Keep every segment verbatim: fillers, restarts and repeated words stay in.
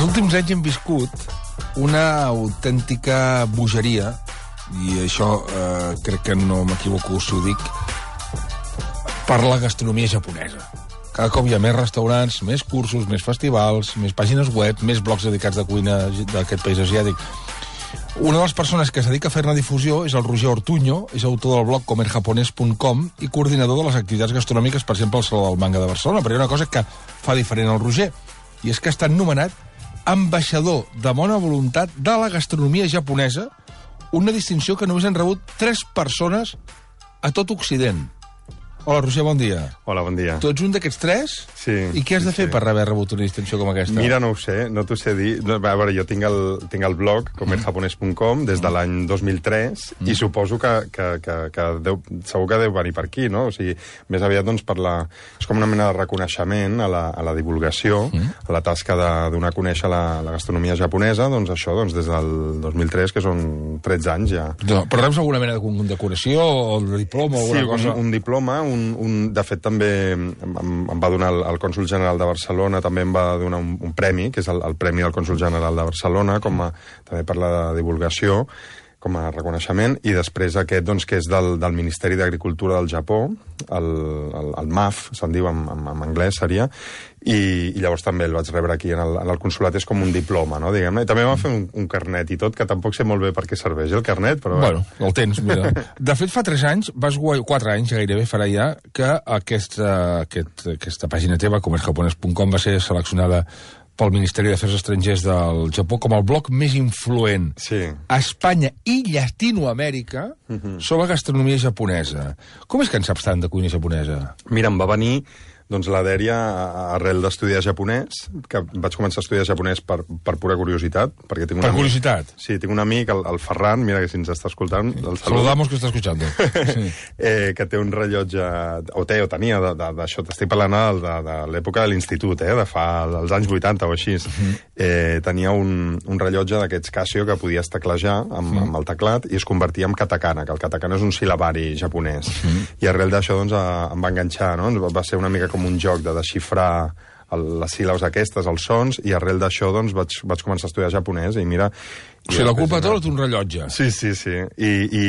Els últims anys hem viscut una autèntica bogeria, i això eh, crec que no m'equivoco si ho dic, per la gastronomia japonesa. Cada cop hi ha més restaurants, més cursos, més festivals, més pàgines web, més blogs dedicats de cuina d'aquest país asiàtic. Una de les persones que es dedica a fer-ne difusió és el Roger Ortuño, és autor del blog comer japonés punt com i coordinador de les activitats gastronòmiques, per exemple, al Saló del Manga de Barcelona. Però hi ha una cosa que fa diferent el Roger, i és que ha estat nomenat ambaixador de bona voluntat de la gastronomia japonesa, una distinció que només han rebut tres persones a tot Occident. Hola, Roger, bon dia. Hola, bon dia. Tu ets un d'aquests tres? Sí. I què has de sí, fer sí. per haver rebut una distinció com aquesta? Mira, no ho sé, no t'ho sé dir. No, a veure, jo tinc el, tinc el blog comer japonés punt com des de l'any dos mil tres mm. i suposo que, que, que, que deu, segur que deu venir per aquí, no? O sigui, més aviat, doncs, per la... És com una mena de reconeixement a la, a la divulgació, mm. a la tasca de donar a conèixer la, la gastronomia japonesa, doncs això, doncs, des del dos mil tres, que són tretze anys ja. No, però reps alguna mena de condecoració o de diploma o alguna sí, cosa? Sí, un, un diploma, un, un, de fet també em, em va donar el, el cònsol general de Barcelona, també em va donar un, un premi, que és el, el Premi del Cònsol General de Barcelona, com a, també per la divulgació, com a reconeixement, i després aquest, doncs, que és del, del Ministeri d'Agricultura del Japó, el, el, el M A F, se'n diu en, en, en anglès, seria, i, i llavors també el vaig rebre aquí en el, en el consolat, és com un diploma, no, diguem-ne. I també va fer un, un carnet i tot, que tampoc sé molt bé per què serveix el carnet, però... Bueno, el tens, mira. De fet, fa tres anys, vas guanyar, quatre anys gairebé farà ja, que aquesta, aquest, aquesta pàgina teva, comer japonés punt com, va ser seleccionada pel Ministeri d'Afers Estrangers del Japó com el blog més influent sí. a Espanya i Llatinoamèrica uh-huh. sobre gastronomia japonesa. Com és que en saps tant de cuina japonesa? Mira, em va venir doncs, la dèria arrel d'estudiar japonès, que vaig començar a estudiar japonès per, per pura curiositat. Perquè tinc un per amic, curiositat? Sí, tinc un amic, el, el Ferran, mira que si ens està escoltant... El Saludamos que està escoltant. Sí. eh, que té un rellotge, o té, o tenia, d'això, t'estic parlant de, de, de l'època de l'institut, eh, de fa els anys vuitanta o així. Uh-huh. eh, tenia un, un rellotge d'aquests Casio que podies teclejar amb, uh-huh. amb el teclat i es convertia en katakana, que el katakana és un sil·labari japonès. Uh-huh. I arrel d'això doncs, a, em va enganxar, no? Va ser una mica com un joc de desxifrar el, les síl·labes aquestes, els sons, i arrel d'això doncs, vaig, vaig començar a estudiar japonès, i mira... O sigui, la culpa tota és un rellotge. Sí, sí, sí. I, i,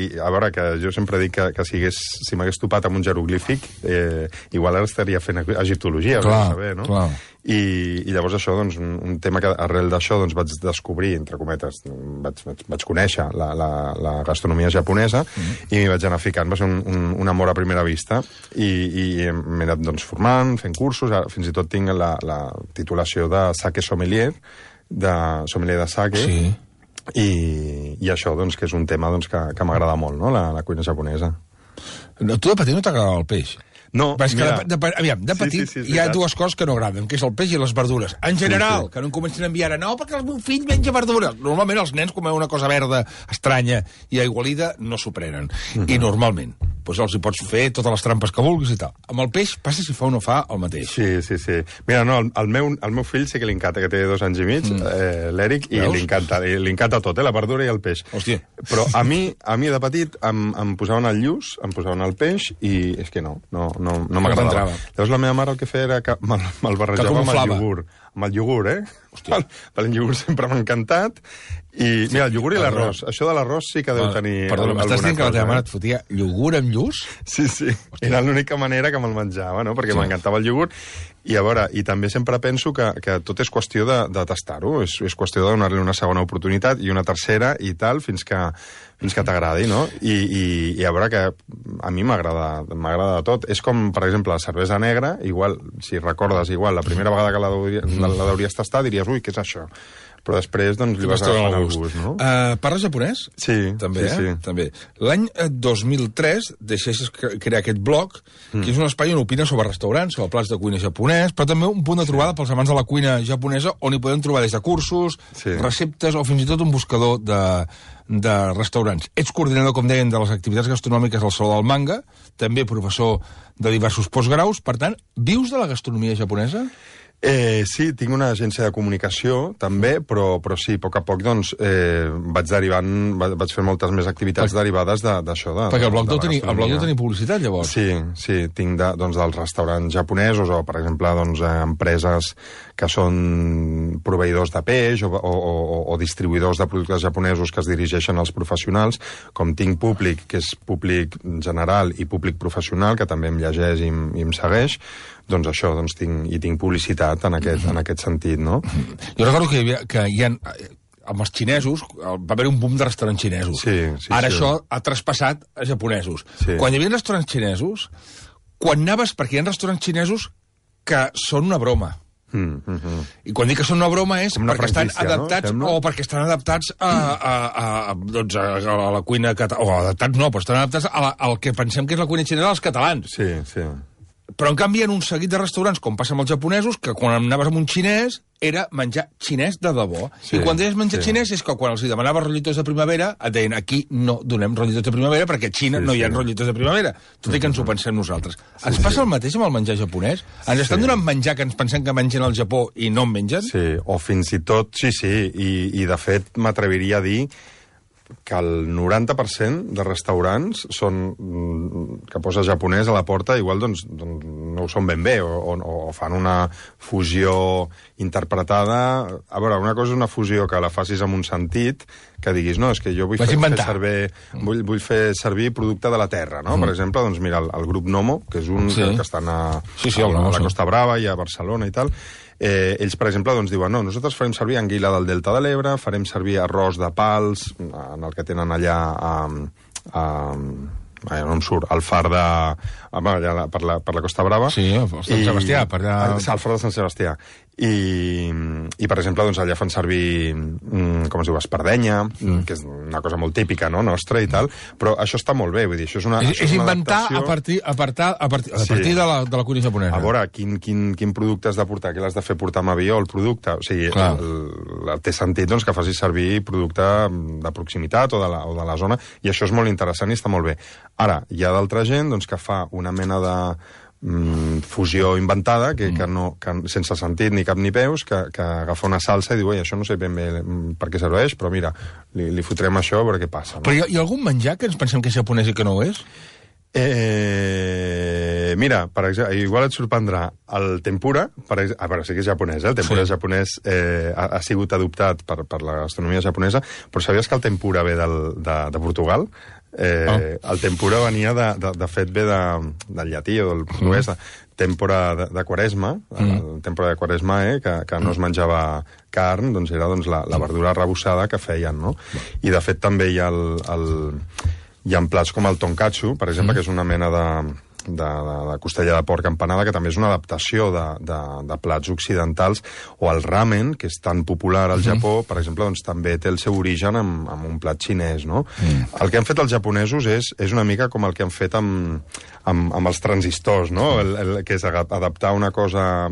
i a veure, que jo sempre dic que, que si, hagués, si m'hagués topat amb un jeroglífic, eh, igual ara estaria fent egiptologia, clar, saber, no? Clar. I, I llavors això, doncs, un, un tema que arrel d'això doncs, vaig descobrir, entre cometes, vaig, vaig, vaig conèixer la, la, la gastronomia japonesa mm-hmm. i m'hi vaig anar ficant. Va ser un, un, un amor a primera vista i, i m'he anat doncs, formant, fent cursos, ara, fins i tot tinc la, la titulació de sake sommelier, de sommelier de sake, sí. i, i això, doncs, que és un tema doncs, que, que m'agrada molt, no?, la, la cuina japonesa. No, tu de petit no t'agradava el peix? No, Vas mira... De, de, aviam, de petit sí, sí, sí, hi ha veritat. dues coses que no agraden, que és el peix i les verdures. En general, sí, sí. que no em comencin a enviar a no, perquè el meu fill menja verdures. Normalment els nens comen una cosa verda estranya i aigualida no s'ho prenen. Mm-hmm. I normalment doncs els hi pots fer totes les trampes que vulguis i tal. Amb el peix passa si fa o no fa el mateix. Sí, sí, sí. Mira, no, el, el, meu, el meu fill sí que li encanta, que té dos anys i mig, mm. eh, l'Eric, i li encanta, li encanta tot, eh, la verdura i el peix. Hòstia. Però a mi, a mi de petit em, em posaven el lluç, em posaven el peix, i és que no, no, no, no m'agradava. Llavors la meva mare el que feia era que me'l, me'l barrejava amb el iogurt. Amb el iogurt, eh? Hòstia. El, el iogurt sempre m'ha encantat. I, mira, el iogurt i l'arròs. Això de l'arròs sí que deu tenir Perdona, m'estàs dient que la teva mare et fotia iogurt amb lluç? Sí, sí. Hòstia. Era l'única manera que me'l menjava, no? Perquè sí. m'encantava el iogurt. I a veure, i també sempre penso que, que tot és qüestió de, de tastar-ho. És, és qüestió de donar-li una segona oportunitat i una tercera i tal, fins que, fins que t'agradi, no? I, i, I a veure que a mi m'agrada m'agrada tot. És com, per exemple, la cervesa negra, igual, si recordes, igual, la primera vegada que la, la, la hauries tastat, diries, ui, què és això? Però després, doncs, li vas agafant el gust, no? Uh, parles japonès? Sí, també, sí, eh? sí. També. L'any dos mil tres deixessis crear aquest blog, mm. que és un espai on opines sobre restaurants, sobre plats de cuina japonès, però també un punt de trobada sí. pels amants de la cuina japonesa, on hi podem trobar des de cursos, sí. receptes o fins i tot un buscador de, de restaurants. Ets coordinador, com deien, de les activitats gastronòmiques del Saló del Manga, també professor de diversos postgraus, per tant, vius de la gastronomia japonesa? Eh, sí, tinc una agència de comunicació, també, però, però sí, a poc a poc doncs, eh, vaig derivant, vaig fer moltes més activitats per... derivades d'això. De, Perquè el blog de, deu de tenir, el blog deu tenir publicitat, llavors. Sí, sí, tinc de, doncs, dels restaurants japonesos o, per exemple, doncs, eh, empreses que són proveïdors de peix o, o, o, o distribuïdors de productes japonesos que es dirigeixen als professionals, com tinc públic, que és públic general i públic professional, que també em llegeix i, i em segueix, doncs això, doncs tinc, i tinc publicitat en aquest, en aquest sentit, no? Jo recordo que hi havia, que hi ha, amb els xinesos, va haver un boom de restaurants xinesos. Sí, sí, Ara sí. això ha traspassat a japonesos. Sí. Quan hi havia restaurants xinesos, quan anaves, perquè hi ha restaurants xinesos que són una broma. Mm, mm, mm. I quan dic que són una broma és una perquè estan adaptats, no? o perquè estan adaptats a, a, a, a, doncs a, a la cuina catalana, o adaptats no, però estan adaptats a la, al que pensem que és la cuina xinesa dels catalans. Sí, sí. Però, en canvi, hi ha un seguit de restaurants, com passa amb els japonesos, que quan anaves amb un xinès era menjar xinès de debò. Sí, I quan deies menjar sí. xinès és que quan els demanaves rotllitos de primavera et deien aquí no donem rotllitos de primavera perquè a Xina sí, no hi ha sí. rotllitos de primavera, tot i que ens ho pensem nosaltres. Sí, ens passa sí. el mateix amb el menjar japonès? Ens estan Sí. donant menjar que ens pensem que mengen al Japó i no en mengen? Sí, o fins i tot, sí, sí, i, i de fet m'atreviria a dir que el noranta per cent de restaurants són, que posa japonès a la porta, igual doncs, doncs no ho són ben bé, o, o, o fan una fusió interpretada. A veure, una cosa és una fusió que la facis amb un sentit, que diguis, no, és que jo vull, fer, fer, servir, vull, vull fer servir producte de la terra, no? Mm. Per exemple, doncs mira, el, el grup Nomo, que és un sí. que, que estan a, sí, sí, a, a, a la Costa Brava i a Barcelona i tal. Eh, ells, per exemple, doncs, diuen no, nosaltres farem servir anguila del Delta de l'Ebre, farem servir arròs de pals, en el que tenen allà a... a Ai, no em surt, el far de... Allà, per, la, per la Costa Brava. Sí, el Sant Sebastià. Per allà... El far de Sant Sebastià. I, i per exemple, doncs, allà fan servir, com es diu, espardenya, mm. que és una cosa molt típica, no?, nostra i tal, però això està molt bé, vull dir, això és una És, això és una inventar adaptació... a partir, a partir, a partir, a partir sí. de, la, de la cuina japonesa. A veure, quin, quin, quin producte has de portar, què l'has de fer portar amb avió, el producte, o sigui, el, el, té sentit doncs, que facis servir producte de proximitat o de, la, o de la zona, i això és molt interessant i està molt bé. Ara, hi ha d'altra gent doncs, que fa una mena de mm, fusió inventada, que, que no, que, sense sentit ni cap ni peus, que, que agafa una salsa i diu, oi, això no sé ben bé per què serveix, però mira, li, li fotrem això a veure què passa. No? Però hi ha, hi ha algun menjar que ens pensem que és japonès i que no ho és? Eh, mira, per exemple, igual et sorprendrà el tempura, per exemple, a veure, sí que és japonès, eh? El tempura sí. japonès eh, ha, ha sigut adoptat per, per la gastronomia japonesa, però sabies que el tempura ve del, de, de Portugal? Eh, oh. El tempura venia, de, de, de fet, ve de, del llatí o del portuguès, mm. tempora de, de quaresma, mm. el tempora de quaresma, eh, que, que no es menjava carn, doncs era doncs, la, la verdura arrebossada que feien, no? I, de fet, també hi ha el... el hi ha plats com el tonkatsu, per exemple, mm. que és una mena de, de, de, de costella de porc empanada, que també és una adaptació de, de, de plats occidentals, o el ramen, que és tan popular al mm. Japó, per exemple, doncs, també té el seu origen en, en un plat xinès, no? Mm. El que han fet els japonesos és, és una mica com el que han fet amb, amb, amb els transistors, no? El, el, que és adaptar una cosa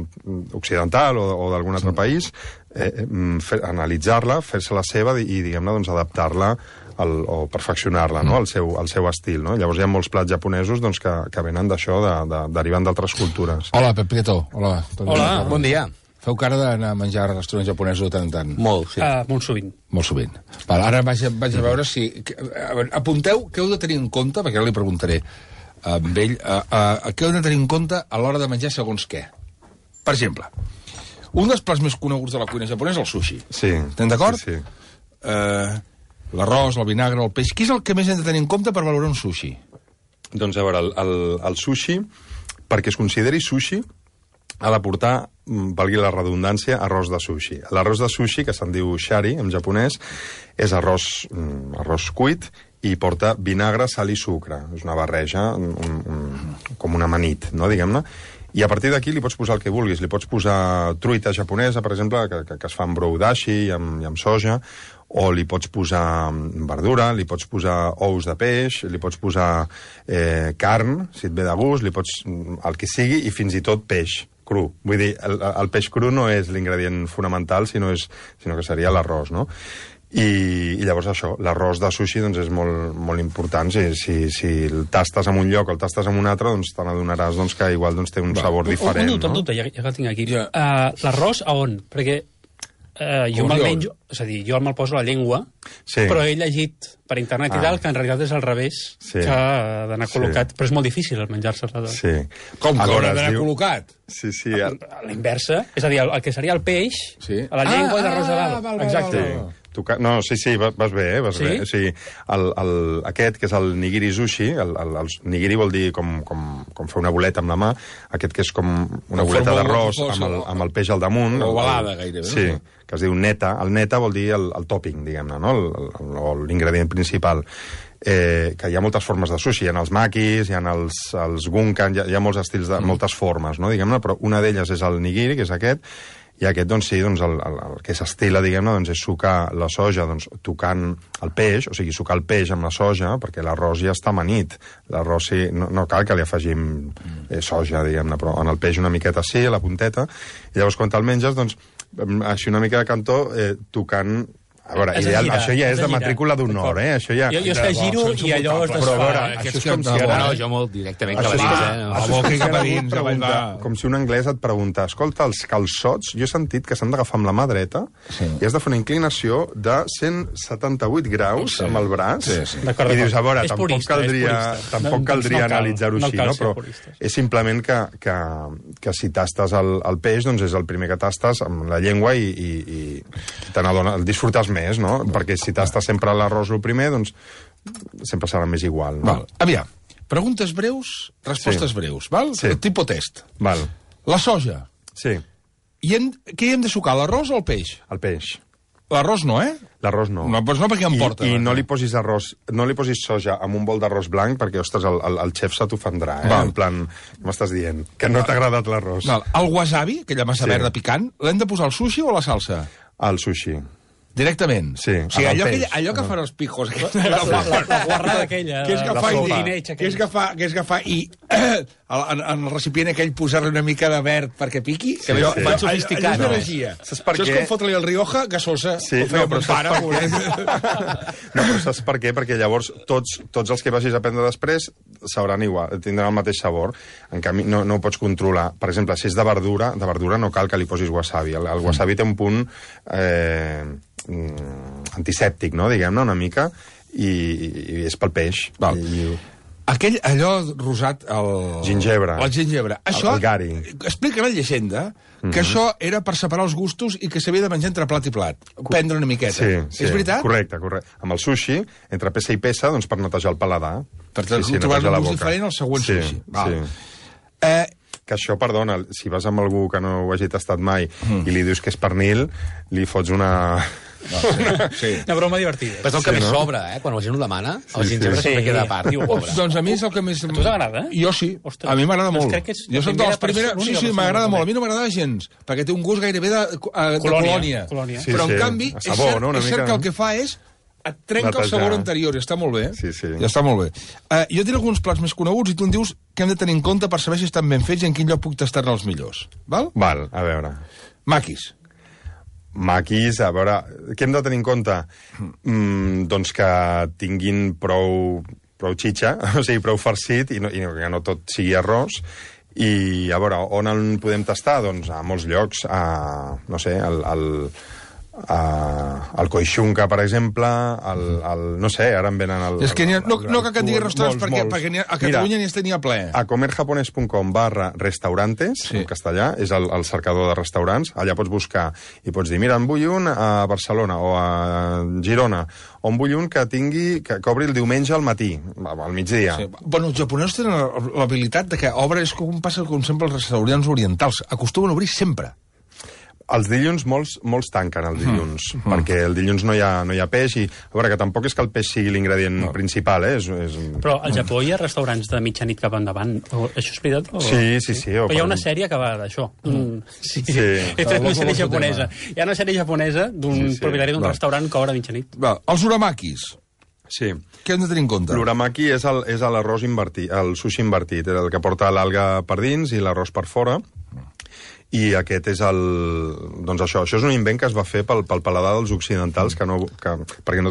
occidental o, o d'algun altre mm. país, eh, fer, analitzar-la, fer-se la seva i, diguem-ne, doncs, adaptar-la El, o perfeccionar-la, no?, al seu, al seu estil, no? Llavors hi ha molts plats japonesos doncs, que, que venen d'això, de, de, derivant d'altres cultures. Hola, Pep Prieto. Hola. Hola, bon dia. Feu cara d'anar a menjar a restaurants japonesos de tant en tant? Molt, sí. Uh, molt sovint. Molt sovint. Val, ara vaig, vaig a veure si... A veure, apunteu què heu de tenir en compte, perquè ara li preguntaré a ell, uh, uh, què heu de tenir en compte a l'hora de menjar segons què. Per exemple, un dels plats més coneguts de la cuina japonesa és el sushi. Sí. Estem d'acord? Sí, sí. Uh, L'arròs, el vinagre, el peix... Què és el que més hem de tenir en compte per valorar un sushi? Doncs, a veure, el, el, el sushi, perquè es consideri sushi, ha de portar, valgui la redundància, arròs de sushi. L'arròs de sushi, que se'n diu shari, en japonès, és arròs, arròs cuit i porta vinagre, sal i sucre. És una barreja, un, un, com una amanit, no?, diguem-ne. I a partir d'aquí li pots posar el que vulguis. Li pots posar truita japonesa, per exemple, que, que, que es fa amb brou dashi i amb, i amb soja, o li pots posar verdura, li pots posar ous de peix, li pots posar eh, carn, si et ve de gust, li pots el que sigui, i fins i tot peix cru. Vull dir, el, el peix cru no és l'ingredient fonamental, sinó, és, sinó que seria l'arròs, no? I, i llavors això, l'arròs de sushi doncs, és molt, molt important. Si, si, si el tastes en un lloc o el tastes en un altre, doncs te n'adonaràs doncs, que igual doncs, té un Va. sabor diferent. Un dubte, no? un dubte, ja, ja que el tinc aquí. Ja. Uh, l'arròs a on? Perquè uh, jo me'l menjo, és a dir, jo me'l poso a la llengua, sí. però he llegit per internet ah. i tal que en realitat és al revés, sí. que ha d'anar col·locat, sí. però és molt difícil el menjar-se-la. Sí. Com que haurà d'anar diu... col·locat? Sí, sí. El... A la inversa, és a dir, el, el que seria el peix, sí. a la llengua ah, i l'arròs a dalt. Ah, val, Exacte. Val, val. Tocar... No, sí, sí, vas bé, eh? Vas sí? bé. O sigui, el, el, aquest, que és el nigiri sushi, el, el, el nigiri vol dir com, com, com fer una boleta amb la mà, aquest que és com una com boleta d'arròs amb, el, amb el peix al damunt. O ovalada, gairebé. Sí, que es diu neta. El neta vol dir el, el topping, diguem-ne, no? L'ingredient principal. Eh, que hi ha moltes formes de sushi. Hi ha els makis, hi ha els, els gunkan, hi ha, hi ha molts estils, de, mm. moltes formes, no? Diguem-ne, però una d'elles és el nigiri, que és aquest, i aquest, doncs sí, doncs, el, el, el que s'estila, diguem-ne, doncs, és sucar la soja doncs, tocant el peix, o sigui, sucar el peix amb la soja, perquè l'arròs ja està amanit. L'arròs sí, no, no cal que li afegim eh, soja, diguem-ne, però en el peix una miqueta sí, a la punteta, i llavors quan te'l menges, doncs, així una mica de cantó, eh, tocant... A veure, ideal, girar, això ja és de matrícula d'honor, eh? Això ja... Jo, jo és que giro i allò es desfà. Però, a veure, això és com si ara... No, jo molt directament cap a dins, eh? Això és cap a dins, com si un anglès et pregunta, escolta, els calçots, jo he sentit que s'han d'agafar amb la mà dreta i has de fer una inclinació de cent setanta-vuit graus amb el braç, i dius, a veure, tampoc caldria tampoc caldria analitzar-ho així, no? Però és simplement que si tastes el peix, doncs és el primer que tastes amb la llengua i te n'adones, el disfrutes més, no? Perquè si tastes sempre l'arròs el primer, doncs sempre serà més igual, no? Val. Aviam, preguntes breus, respostes sí. breus, val? Sí. Tipo test. Val. La soja. Sí. I hem, què hi hem de sucar, l'arròs o el peix? El peix. L'arròs no, eh? L'arròs no. No, doncs no, perquè em porta. I, i no li posis arròs, no li posis soja amb un bol d'arròs blanc, perquè, ostres, el, el, el xef se t'ofendrà, eh? Val. En plan, què m'estàs dient? Que no t'ha agradat l'arròs. El wasabi, aquella massa sí. verda picant, l'hem de posar al sushi o a la salsa? Al sushi. Directament? Sí. O sigui, allò que, allò que fan els pijos... La, la, la, la guarrada aquella... Que és agafar, i, que és agafar, que és agafar i en, en el recipient aquell posar-li una mica de verd perquè piqui. Sí, que allò, sí. Van sofisticat. Allò és energia. Saps per què? Això és com fotre-li el Rioja gasosa. Sí, no, però saps per què? No, però saps per què? Perquè llavors tots, tots els que vagis a prendre després sabran igual, tindran el mateix sabor. En canvi, no, no ho pots controlar. Per exemple, si és de verdura, de verdura no cal que li posis wasabi. El, el wasabi té un punt... Eh, antisèptic, no? Diguem-ne, una mica, i, i és pel peix. Val. I... Aquell, allò rosat, el... Gingebre. El gingebre. Això, el gari. Explica la llegenda que mm-hmm. això era per separar els gustos i que s'havia de menjar entre plat i plat. Prendre una miqueta. Sí, sí. És veritat? Correcte, correcte. Amb el sushi, entre peça i peça, doncs per netejar el paladar. Per sí, sí, trobar un gust diferent al següent sí, sushi. Val. Sí. Eh, que això, perdona, si vas amb algú que no ho hagi tastat mai mm. i li dius que és pernil, li fots una... No, sí, sí. Una broma divertida. Però és el que sí, més no? sobra, eh? Quan la gent ho demana, sí, el gingebre sí. sempre sí. queda a part. Diu, Ops, doncs a mi és el que més... A tu t'agrada, eh? Jo sí. Ostres. A mi m'agrada molt. Crec que és jo soc de les primeres... Sí, sí, m'agrada molt. A mi no m'agrada gens, perquè té un gust gairebé de, de colònia. colònia. colònia. Sí, sí. Però, en canvi, sabor, és, cert, no? és cert que el que fa és et trenca Netejar. el sabor anterior, i està molt bé. Sí, sí. Ja està molt bé. Uh, jo tinc alguns plats més coneguts i tu em dius que hem de tenir en compte per saber si estan ben fets i en quin lloc puc tastar-ne els millors. Val? Val, a veure. Maquis. Maquis, a veure, què hem de tenir en compte? Mm, doncs que tinguin prou, prou xitxa, o sigui, prou farcit, i, no, i que no tot sigui arròs. I, a veure, on en podem tastar? Doncs a molts llocs, a, no sé, al... al Uh, el Coixunca, per exemple, el, el, no sé, ara em venen... El, és que ha, no, el, no cal que et digui restaurants molts, perquè, molts. perquè ha, a Catalunya n'hi tenia ple. A comerjapones punt com barra restaurantes, sí. en castellà, és el, el cercador de restaurants. Allà pots buscar i pots dir, mira, en vull un a Barcelona o a Girona, o en vull un que tingui, que, que obri el diumenge al matí, al migdia. Sí. Bueno, els japonesos tenen l'habilitat de que obre, és com passa com sempre els restaurants orientals, acostumen a obrir sempre. Els dilluns molts, molts tanquen el dilluns, mm. perquè el dilluns no hi, ha, no hi ha peix, i a veure, que tampoc és que el peix sigui l'ingredient no. principal, eh? És, és... Però al Japó hi ha restaurants de mitjanit cap endavant, o, això és veritat? O... Sí, sí, sí. Però hi ha una sèrie que va d'això. Mm. Sí, sí. És una sèrie japonesa. Hi ha una sèrie japonesa d'un sí, sí. propietari d'un restaurant que obre a mitjanit. Va, els uramakis. Sí. Què hem de tenir en compte? L'uramaki és l'arròs invertit, el sushi invertit, el que porta l'alga per dins i l'arròs per fora. I aquest és el... Doncs això, això és un invent que es va fer pel, pel paladar dels occidentals, que no, que, perquè no,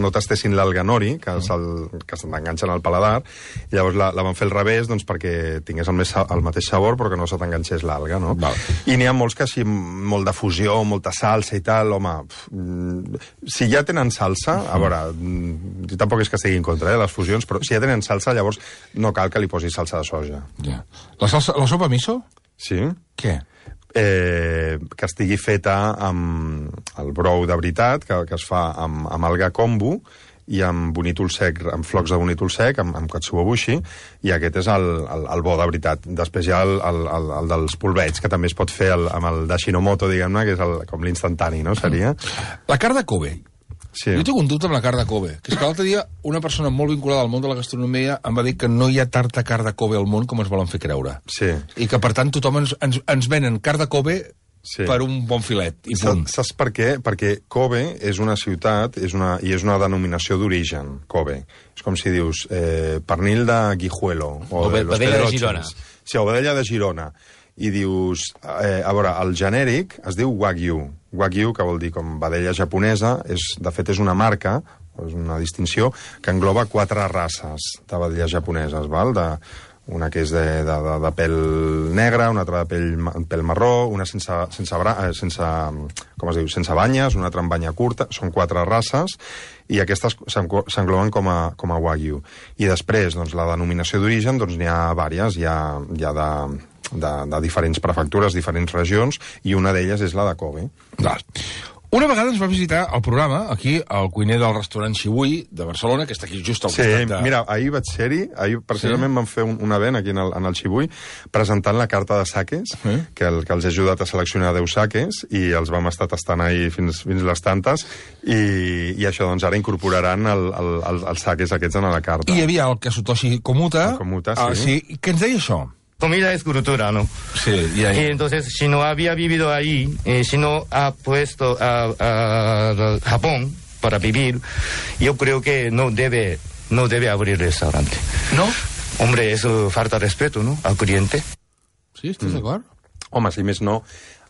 no tastessin l'alga nori, que, mm. que se t'enganxen al paladar, i llavors la, la van fer al revés doncs, perquè tingués el, més, el mateix sabor, però que no se t'enganxés l'alga, no? Val. I n'hi ha molts que així, molt de fusió, molta salsa i tal, home... Pff, si ja tenen salsa, a veure, jo tampoc és que estigui en contra, eh, les fusions, però si ja tenen salsa, llavors no cal que li posis salsa de soja. Ja. La, salsa, la sopa miso? Sí. Què? Eh, que estigui feta amb el brou de veritat, que, que es fa amb, amb alga kombu i amb bonítol sec, amb flocs de bonítol sec, amb, amb katsuobushi, i aquest és el, el, el bo de veritat. Després hi ha el, el, el, el dels polvets, que també es pot fer el, amb el d'Ashinomoto, diguem-ne, que és el, com l'instantani, no? Seria? La carn de Kobe. Sí. Jo tinc un dubte amb la carn de Kobe, que és que l'altre dia una persona molt vinculada al món de la gastronomia em va dir que no hi ha tanta carn de Kobe al món com ens volen fer creure. Sí. I que, per tant, tothom ens, ens, ens venen carn de Kobe sí. per un bon filet, i punt. Saps per què? Perquè Kobe és una ciutat és una, i és una denominació d'origen, Kobe. És com si dius eh, pernil de Guijuelo. O, o de Los Vedella de Girona. Sí, o Vedella de Girona. I dius, eh, a veure, el genèric es diu Wagyu. Wagyu, que vol dir com vedella japonesa, és, de fet és una marca, és una distinció, que engloba quatre races de vedelles japoneses, val? De, una que és de, de, de, de pèl negre, una altra de pèl, pèl marró, una sense, sense, bra, eh, sense, com es diu, sense banyes, una altra amb banya curta, són quatre races, i aquestes s'engloben com, a, com a Wagyu. I després, doncs, la denominació d'origen, doncs n'hi ha vàries, hi ha, hi ha de... De, de diferents prefectures, diferents regions, i una d'elles és la de Kobe. Val. Una vegada ens va visitar el programa, aquí, el cuiner del restaurant Xivui de Barcelona, que està aquí just al sí, costat de... mira, ahir vaig ser-hi, ahir precisament sí? vam fer un, un event aquí en el, en el Xivui, presentant la carta de saques, sí? que, el, que els he ajudat a seleccionar deu saques, i els vam estar tastant ahir fins, fins les tantes, i, i això, doncs, ara incorporaran el, el, el, els saques aquests en la carta. I hi havia el Kasutoshi Komuta, el Komuta sí. Ah, sí, que ens deia això. Comida es cultura, ¿no? Sí, y ahí. Y entonces, si no había vivido ahí, eh, si no ha puesto a, a, a Japón para vivir, yo creo que no debe, no debe abrir restaurante. ¿No? Hombre, eso falta respeto, ¿no? Al cliente. Sí, estàs mm. d'acord? Home, si més no,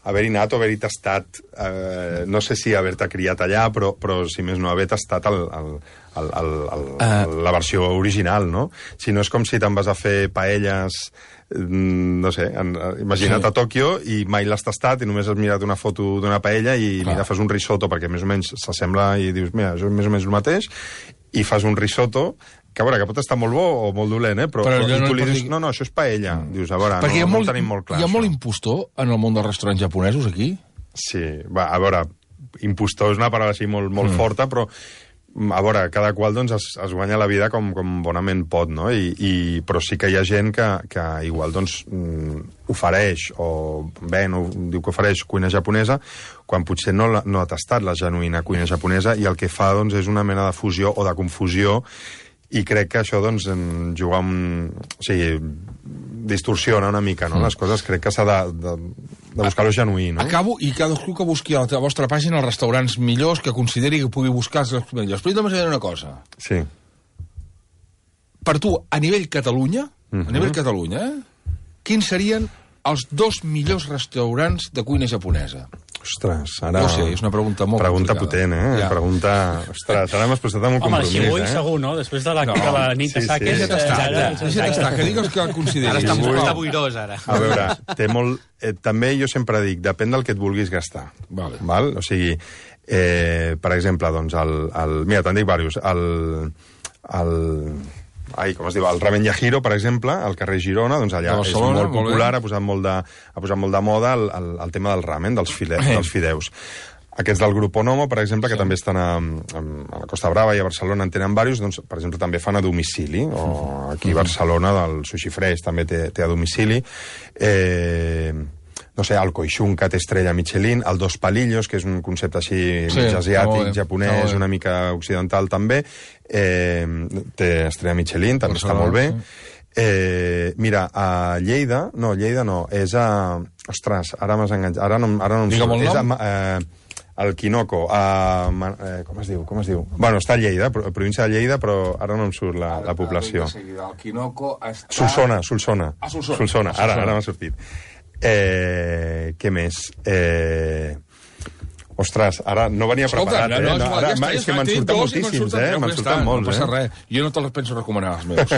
haver-hi anat o haver-hi tastat, eh, no sé si haver-te criat allà, però, però si més no, haver tastat el, el, el, el, el, uh. la versió original, no? Si no és com si te'n vas a fer paelles, no sé, en, imagina't sí. a Tòquio i mai l'has tastat i només has mirat una foto d'una paella i Clar. mira, fas un risotto perquè més o menys s'assembla i dius, mira, això és més o menys el mateix, i fas un risotto que a veure, que pot estar molt bo o molt dolent, eh? però, però, però i tu no li dius, dir... no, no, això és paella. Mm. Dius, a veure, no, molt, no ho tenim molt clar. Hi ha això. molt impostor en el món dels restaurants japonesos, aquí? Sí, va, a veure, impostor és una paraula així molt, molt mm. forta, però a veure, cada qual doncs, es, es guanya la vida com, com bonament pot, no? I, i, però sí que hi ha gent que, que igual doncs, ofereix, o bé, no, diu que ofereix cuina japonesa, quan potser no, no ha tastat la genuïna cuina japonesa, i el que fa doncs, és una mena de fusió o de confusió, i crec que això, doncs, en jugar amb... O sigui, distorsiona una mica, no? Mm. Les coses crec que s'ha de, de, de buscar-ho genuí, no? Acabo, i cadascú que busqui a la vostra pàgina els restaurants millors, que consideri que pugui buscar els millors. Però jo també sé una cosa. Sí. Per tu, a nivell Catalunya, mm-hmm. a nivell Catalunya, eh, quins serien els dos millors restaurants de cuina japonesa? Ostres, ara... No sé, és una pregunta molt pregunta complicada. potent, eh? Ja. Pregunta... Ostres, ara m'has posat amb un Home, compromís, eh? Home, el Xivui eh? segur, no? Després de la, no. de la nit de sí, saques... Sí. Deixa't estar, deixa't estar, que digues que el consideris. Ara està, Xivui. està boirós, ara. A veure, té molt... Eh, també jo sempre dic, depèn del que et vulguis gastar. Vale. Val? O sigui, eh, per exemple, doncs, el... el mira, te'n dic diversos. El... el ai, com es diu, el Ramen Yahiro, per exemple, al carrer Girona, doncs allà és molt popular, ha posat molt de, ha posat molt de moda el, el, el tema del ramen, dels, fide, dels fideus. Aquests del grup Onomo, per exemple, que sí. també estan a, a, a la Costa Brava i a Barcelona, en tenen diversos, doncs, per exemple, també fan a domicili, o aquí a Barcelona, del Sushi Fresh, també té, té a domicili. Eh... no sé, el Koishunka té estrella Michelin, el Dos Palillos, que és un concepte així sí, mig asiàtic, no, japonès, no, una mica occidental també, eh, té estrella Michelin, també està molt bé. Sí. Eh, mira, a Lleida, no, Lleida no, és a... Ostres, ara m'has enganxat, ara no, ara no em surt. És a, eh, el Quinoco, a... Eh, com es diu, com es diu? Bueno, està a Lleida, província de Lleida, però ara no em surt la, la població. El Quinoco està... Solsona, Solsona. Ah, Solsona. Solsona, ara, ara m'ha sortit. Eh, què més? Eh... Ostres, ara no venia Escolta, preparat, eh? no, no, ara, ja està, ja és que està, me'n tinc surten dos i me'n moltíssims, surten, eh? ja Me'n està, surten molts, no passa eh? res. Jo no te'ls penso recomanar, els meus.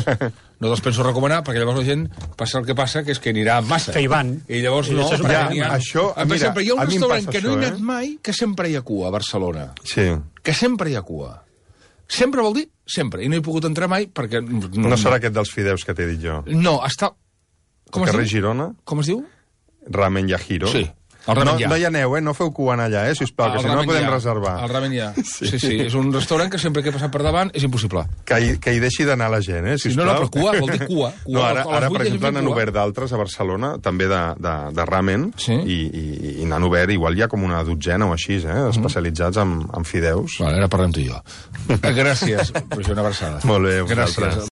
No te'ls penso recomanar, perquè llavors la gent passa el que passa, que és que anirà massa. Que hi van. I llavors I no. això és Ja, perquè n'hi ha- això, per mira, exemple, hi ha un a mi em restaurant passa que no he això, anat eh? mai, que sempre hi ha cua, a Barcelona. Sí. Que sempre hi ha cua. Sempre vol dir sempre. I no he pogut entrar mai perquè... No, no serà aquest dels fideus que t'he dit jo. No, està... Com Al es carrer diu? Girona, Com es diu? Ramen Yahiro. Sí. El No, ramen ja. no hi aneu, eh? No feu cua allà, eh? Sisplau, que El si no no ramen podem ja. reservar. El ramen ja. Sí. sí, sí. És un restaurant que sempre que he passat per davant és impossible. Que hi, que hi deixi d'anar la gent, eh? Sí, Sisplau. no, no, però cua, vol dir cua. cua No, ara, a les ara vuit per hi ha exemple, gent n'han cua. obert d'altres a Barcelona, també de, de, de ramen, Sí. i, i, i n'han obert, igual hi ha com una dotzena o així, eh? Especialitzats en, en fideus. Vale, ara parlem tu i jo. Gràcies, Roger, una abraçada. Molt bé, Gràcies. vosaltres.